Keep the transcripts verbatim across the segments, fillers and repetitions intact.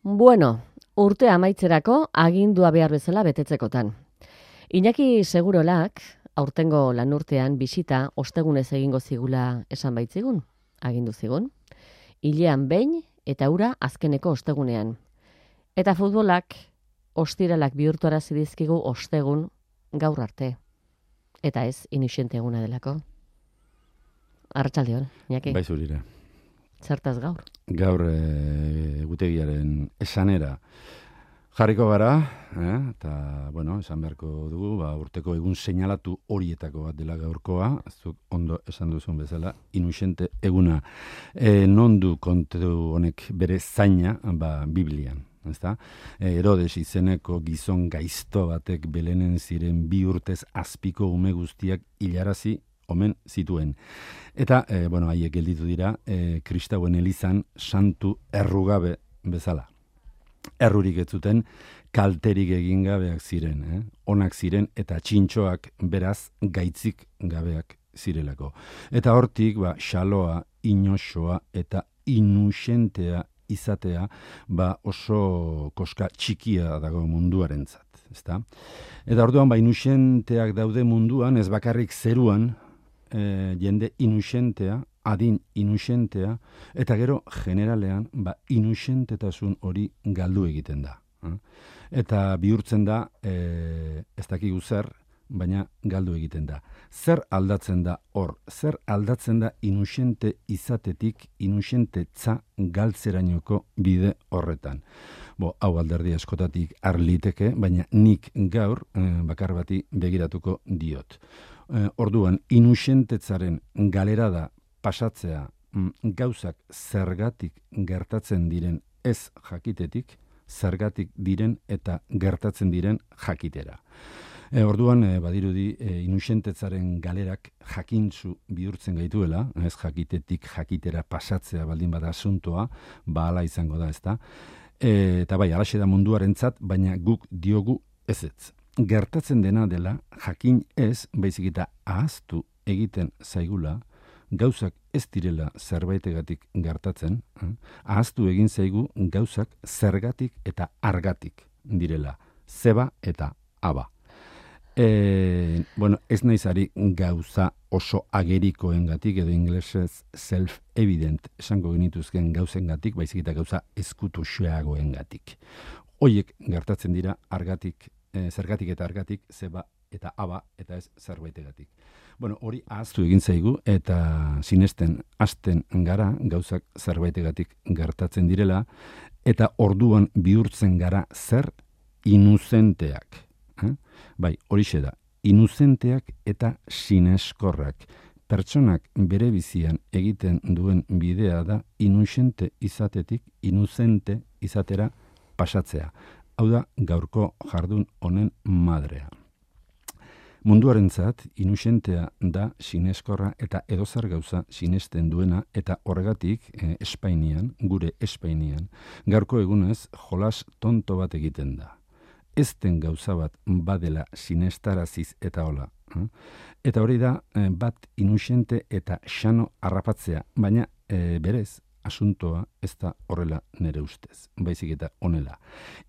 Bueno, urte amaitzerako agindua behar bezala betetzekotan. Iñaki Segurolak, aurtengo lanurtean bisita ostegunez egingo zigula esan baitzigun, agindu zigun. Hilean behin eta ura azkeneko ostegunean. Eta futbolak ostiralak bihurtuarazi dizkigu ostegun gaur arte. Eta ez inuxente eguna delako. Arratsaldeon, Iñaki. Bai zurira. Zertaz gaur? Gaur e, egutegiaren esanera jarriko gara, eh? Eta, bueno, esan beharko dugu, ba, urteko egun seinalatu horietako bat dela gaurkoa, zuk ondo esan duzun bezala, inuxente eguna. E, non du kontu honek bere zaina, ba, Biblian. Ezta? E, Herodes izeneko gizon gaizto batek Belenen ziren bi urtez azpiko ume guztiak hilarazi omen zituen. Eta, e, bueno, haiek gelditu dira, e, kristauen elizan santu errugabe bezala. Errurik ez zuten, kalterik egin gabeak ziren, eh? Onak ziren eta txintxoak beraz gaitzik gabeak zirelako. Eta hortik, ba, xaloa, inoxoa eta inuxentea izatea, ba, oso koska txikia dago munduarentzat, ezta? Eta orduan, ba, inuxenteak daude munduan, ez bakarrik zeruan, E, jende inuxentea, adin inuxentea, eta gero generalean ba, inuxentetasun hori galdu egiten da. Eh? Eta bihurtzen da, e, ez dakigu zer, baina galdu egiten da. Zer aldatzen da hor? Zer aldatzen da inuxente izatetik inuxentetza galtzerainoko bide horretan? Bo, hau alderdi askotatik arliteke, baina nik gaur e, bakar bati begiratuko diot. Orduan, inuxentetzaren galera da pasatzea gauzak zergatik gertatzen diren ez jakitetik, zergatik diren eta gertatzen diren jakitera. E, orduan, e, badirudi, e, inuxentetzaren galerak jakintzu bihurtzen gaituela, ez jakitetik jakitera pasatzea baldin bada asuntoa, ba hala izango da, ezta? E, eta bai, alaxe da munduarentzat, baina guk diogu ezetz. Gertatzen dena dela, jakin ez, baizik eta ahaztu egiten zaigula, gauzak ez direla zerbaitegatik gertatzen, eh? Ahaztu egin zaigu gauzak zergatik eta argatik direla, zeba eta aba. E, bueno, ez naizari gauza oso agerikoengatik edo inglesez self-evident esango genituzken gauzengatik, baizik eta gauza ezkutuxeagoengatik. Hoiek gertatzen dira argatik, E, zergatik eta argatik, zeba eta aba eta ez zerbaitegatik. Bueno, hori ahaztu egin zaigu eta sinesten hasten gara gauzak zerbaitegatik gertatzen direla eta orduan bihurtzen gara zer inuzenteak. Eh? Bai, horixe da, inuzenteak eta sineskorrak. Pertsonak bere bizian egiten duen bidea da inusente izatetik inuzente izatera pasatzea. Hau da, gaurko jardun honen madrea. Munduarentzat, inuxentea da sineskorra eta edozer gauza sinesten duena eta horregatik eh, Espainian, gure Espainian, gaurko egunez jolas tonto bat egiten da. Ez den gauza bat badela sinestaraziz eta hola. Eh? Eta hori da, eh, bat inuxente eta xano harrapatzea, baina eh, berez, asuntoa ez da horrela nere ustez, baizik eta honela.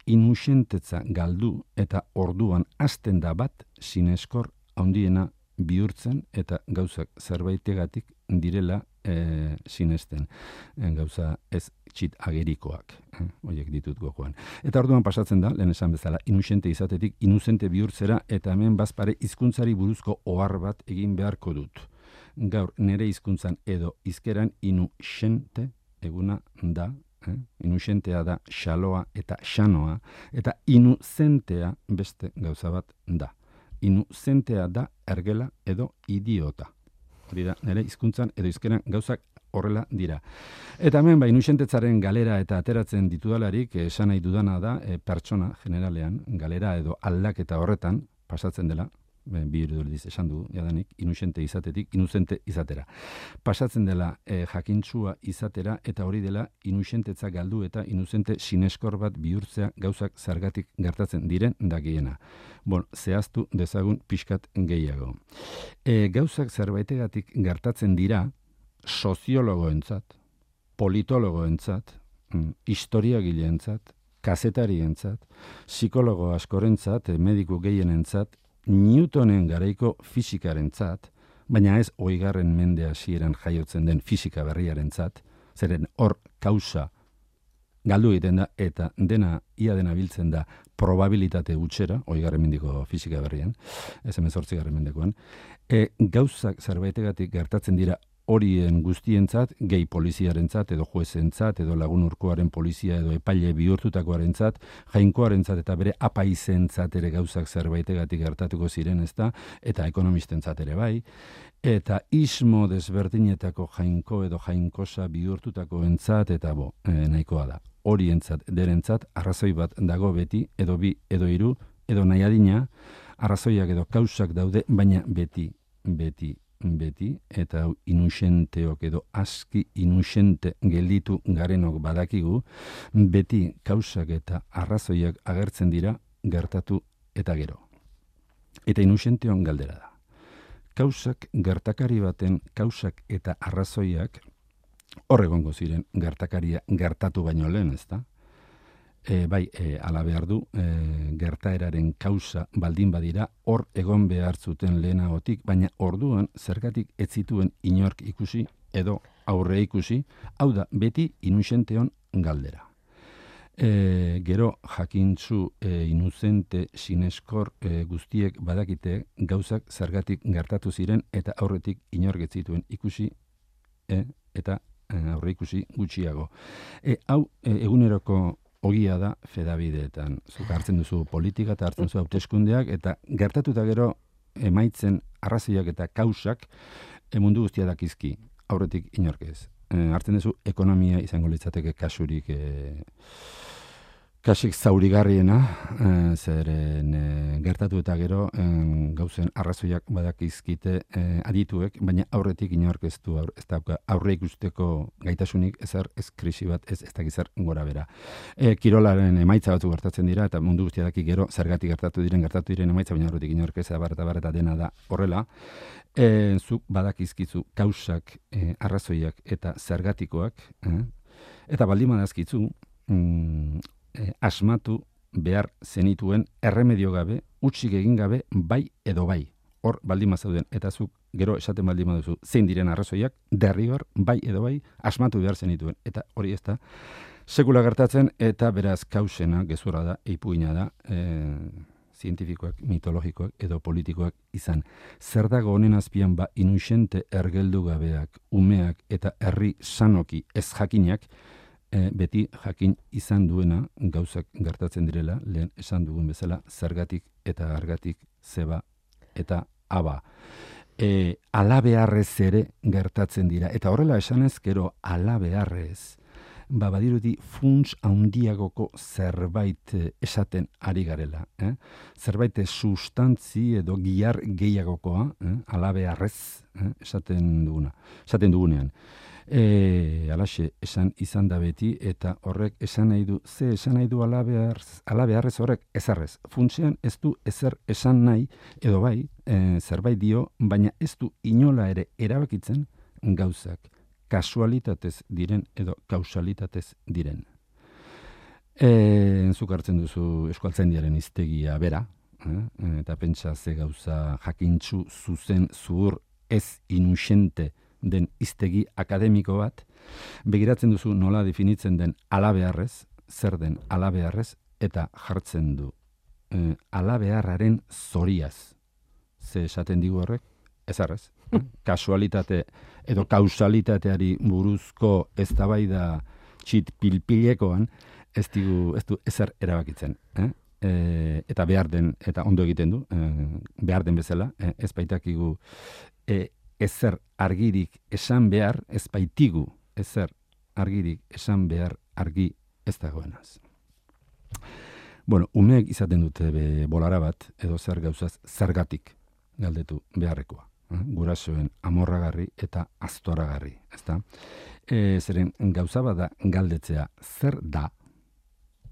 Inuxentetza galdu eta orduan hasten da bat sineskor handiena bihurtzen eta gauzak zerbaitegatik direla e, sinesten. E, gauza ez txit agerikoak, eh, horiek ditut gogoan. Eta orduan pasatzen da, lehen esan bezala, inuxente izatetik inuzente bihurtzera eta hemen bazpare hizkuntzari buruzko ohar bat egin beharko dut. Gaur nere hizkuntzan edo hizkeran inuxente eguna da, eh? Inuxentea da xaloa eta xanoa, eta inuzentea beste gauza bat da. Inuzentea da ergela edo idiota. Hori da, nire hizkuntzan edo hizkeran gauzak horrela dira. Eta hemen, ba, inuxentetzaren galera eta ateratzen ditudalarik, esan nahi dudana da, e, pertsona generalean, galera edo aldaketa horretan, pasatzen dela, bi irudurdiz esan du, jadanik, inuxente izatetik, inuzente izatera. Pasatzen dela e, jakintzua izatera, eta hori dela inuxentetza galdu eta inuzente sineskor bat bihurtzea gauzak zergatik gertatzen diren dakiena. Bon, zehaztu dezagun pixkat gehiago. E, gauzak zerbaitegatik gertatzen dira soziologoentzat, politologoentzat, historiagileentzat, kazetarientzat, psikologo askorentzat, mediku gehienentzat, Newtonen garaiko fisikarentzat, baina ez hogeigarren mende hasieran jaiotzen den fisika berriarentzat, zeren hor kausa galdu egiten da, eta dena, ia dena biltzen da probabilitate gutxera, hogeigarren mendeko fisika berrian, ez hemezortzigarren mendekoan, e, gauzak zerbaitegatik gertatzen dira horien guztientzat, gehi poliziarentzat, edo juezentzat, edo lagun urkoaren polizia, edo epaile bihurtutakoarentzat, jainkoarentzat eta bere apaizentzat ere gauzak zerbaitegatik gertatuko ziren, ezta, eta ekonomistentzat ere bai, eta ismo desberdinetako jainko edo jainkosa bihurtutakoentzat, eta bo, e, nahikoa da. Horientzat, derentzat, arrazoi bat dago beti, edo bi, edo hiru, edo nahi adina, arrazoiak edo kausak daude, baina beti, beti, beti, eta inusenteok edo aski inusente gelditu garenok badakigu, beti kausak eta arrazoiak agertzen dira gertatu eta gero. Eta inusenteon galdera da. Kausak gertakari baten kausak eta arrazoiak hor egongo ziren gertakaria gertatu baino lehen, ezta? E, bai, e, ala behar du, e, gertaeraren kausa baldin badira, hor egon behar zuten lehenagotik, baina orduan zergatik ez zituen inork ikusi edo aurre ikusi, hau da beti inusenteon galdera. E, gero jakintzu e, inuzente sineskor e, guztiek badakite gauzak zergatik gertatu ziren eta aurretik inork ez zituen ikusi e, eta e, aurre ikusi gutxiago. E, hau e, eguneroko ogia da fedabideetan. Zuk hartzen duzu politika eta hartzen duzu hauteskundeak eta gertatuta gero emaitzen arrazoiak eta kausak e, mundu guztia dakizki, aurretik inork ez. E, hartzen duzu ekonomia izango litzateke kasurik e, kasik zaurigarriena, e, zeren e, gertatu eta gero e, gauzen arrazoiak badakizkite e, adituek, baina aurretik inork ez du aur, ez dauka aurre ikusteko gaitasunik ezer ez krisi bat, ez ez dakizar gora bera. E, kirolaren emaitza batzuk gertatzen dira eta mundu guztia daki gero zergatik gertatu diren gertatu diren emaitza, baina aurretik inork ez abar eta bar eta dena da horrela. E, zuk badakizkizu kausak, e, arrazoiak eta zergatikoak, e, eta baldin badazkitzu, mm, E, asmatu behar zenituen erremedio gabe, utzik egin gabe, bai edo bai. Hor baldin mazauden, eta zuk gero esaten baldin maduzu, zein diren arrazoiak, derrigor, bai edo bai, asmatu behar zenituen. Eta hori ez da, sekula gertatzen, eta beraz kausena, gezurra da, eipuina da, e, zientifikoak, mitologikoak edo politikoak izan. Zer dago honen azpian ba inusente ergeldu gabeak, umeak eta herri sanoki ez jakinak, E, beti jakin izan duena gauzak gertatzen direla, lehen esan dugun bezala, zergatik eta argatik zeba eta aba. E, ala beharrez ere gertatzen dira. Eta horrela esanez, gero ala beharrez, ba badirudi funts handiagoko zerbait esaten ari garela. Eh? Zerbait sustantzi edo gihar gehiagokoa, eh? ala beharrez eh? esaten duguna, esaten dugunean. E, alaxe, esan izan da beti, eta horrek esan nahi du, ze esan nahi du alabeharrez, alabeharrez horrek ezarrez. Funtsean ez du ezer esan nahi, edo bai, e, zerbait dio, baina ez du inola ere erabakitzen gauzak, kasualitatez diren edo kausalitatez diren. E, zuk hartzen duzu eskualtzaindiaren hiztegia bera, eh? eta pentsa ze gauza jakintzu zuzen zuhur ez inusente den hiztegi akademiko bat, begiratzen duzu nola definitzen den alabeharrez, zer den alabeharrez, eta jartzen du e, alabeharraren zoriaz. Ze esaten digu horrek? Ezarrez. Eh? Kasualitate edo kausalitateari buruzko eztabaida txit pilpilekoan ez digu, ez du ezer erabakitzen. Eh? E, eta behar den, eta ondo egiten du, e, behar den bezala, e, ez baitakigu e, ezer argirik esan behar, ez baitigu ezer argirik esan behar argi ez dagoenaz. Bueno, umeek izaten dute be, bolara bat, edo zer gauzaz zergatik galdetu beharrekoa. Eh? Gurasoen amorragarri eta aztoragarri. Ezta? E, zeren gauza bada galdetzea zer da,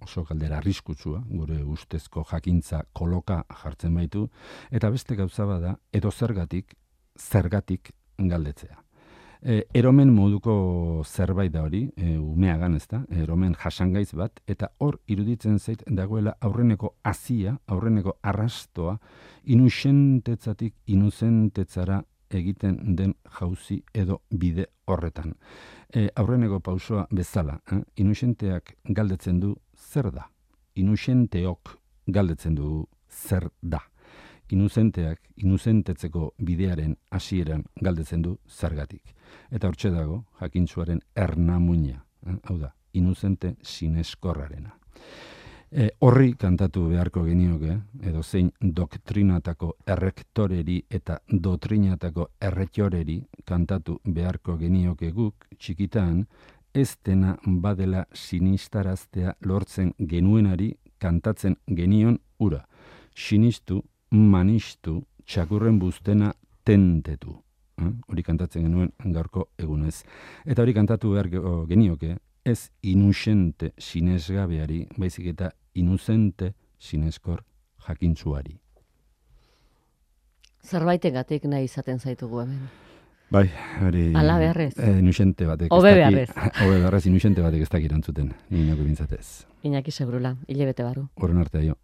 oso galdera arriskutsua, gure ustezko jakintza koloka jartzen baitu, eta beste gauza bada edo zergatik, zergatik galdetzea. E, eromen moduko zerbait da hori, e, umeagan ez da, eromen jasangaiz bat, eta hor iruditzen zait dagoela aurreneko hazia, aurreneko arrastoa, inusentetzatik inuzentetzara egiten den jauzi edo bide horretan. E, aurreneko pausoa bezala, eh? Inusenteak galdetzen du zer da. Inusenteok galdetzen du zer da. Inuzenteak, inuzentetzeko bidearen hasieran galdetzen du zergatik. Eta hortxe dago, jakintsuaren ernamuina, eh? Hau da, inuzente sineskorrarena. E, horri kantatu beharko genioke, edo zein doktrinatako errektoreri eta dotrinatako erretoreri kantatu beharko genioke guk txikitan, ez dena badela sinistaraztea lortzen genuenari kantatzen genion ura. Sinistu, manistu, txakurren buztena tentetu. Eh? Hori kantatzen genuen gaurko egunez. Eta hori kantatu behar genioke, ez inusente sinesgabeari, baizik eta inuzente sineskor jakintzuari. Zerbaitegatik nahi izaten zaitugu hemen. Bai, hori... Ala beharrez. E, inusente batek. Obe beharrez. Obe beharrez, inusente batek ez dakit antzuten. Ni nago bintzatez. Iñaki Segurula, hilabete barru. Horren artea jo.